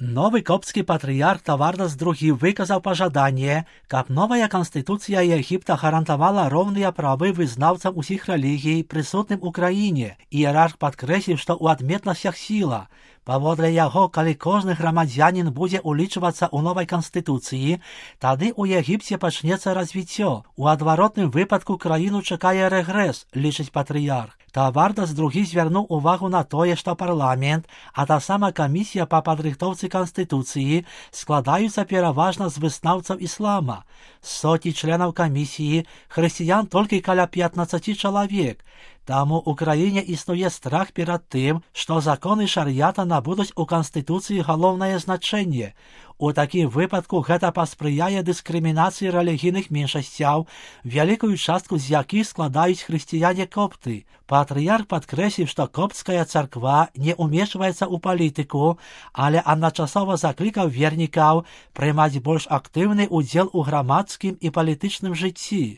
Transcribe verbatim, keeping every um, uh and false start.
Новый коптский патриарх Тавардас другий выказал пожадание, как новая конституция Египта гарантовала ровные правы вызнавцам усіх религий, присутным у краине. Иерарх подкрэсліў, што ў адметнасцях сіла. Паводле яго, калі кожны грамадзянін будзе улічвацца ў новай канстытуцыі, тады ў Егіпце пачнецца развіццё. У адваротным выпадку краіну чакае рэгрэс, лічыць патрыярх. Тавардас другі звярнуў увагу на тое, што парламент, а таксама камісія па падрыхтоўцы канстытуцыі складаюцца пераважна з вызнаўцаў іслама. Соці членаў камісіі, хрысціян толькі каля пятнаццаць чалавек. Таму ў краіне існуе страх перад тым, што законы шар'ята набудуць у канстытуцыі галоўнае значэнне. У такім выпадку гэта паспрыяе дыскрымінацыі рэлігійных меншасцяў, вялікую частку з якіх складаюць хрысціяне-копты. Патрыярх падкрэсліў, што коптская царква не ўмешваецца ў палітыку, але адначасова заклікаў вернікаў прымаць больш актыўны ўдзел у грамадскім і палітычным жыцці.